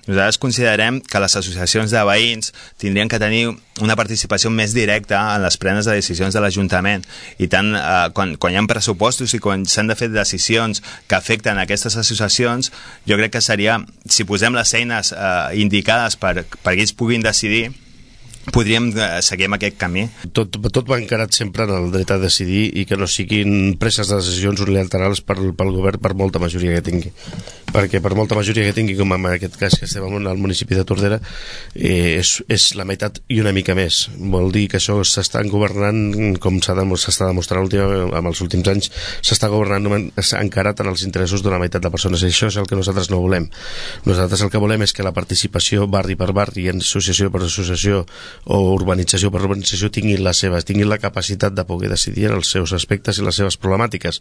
Nosaltres considerem que les associacions de veïns tindrien que tenir una participació més directa en les prenes de decisions de l'Ajuntament, i tant quan hi ha pressupostos i quan s'han de fer decisions que afecten aquestes associacions, jo crec que seria, si posem les eines indicades perquè ells puguin decidir, podríem seguir amb aquest camí. Tot va encarat sempre en el dret a decidir i que no siguin preses de decisions unilaterals pel govern per molta majoria que tingui, perquè per molta majoria que tingui, com en aquest cas que estem al municipi de Tordera, és la meitat i una mica més. Vol dir que això s'estan governant, com s'està demostrant amb els últims anys, s'està governant encarat en els interessos d'una meitat de persones, i això és el que nosaltres no volem. Nosaltres el que volem és que la participació barri per barri, associació per associació o urbanització per urbanització tinguin la capacitat de poder decidir en els seus aspectes i les seves problemàtiques.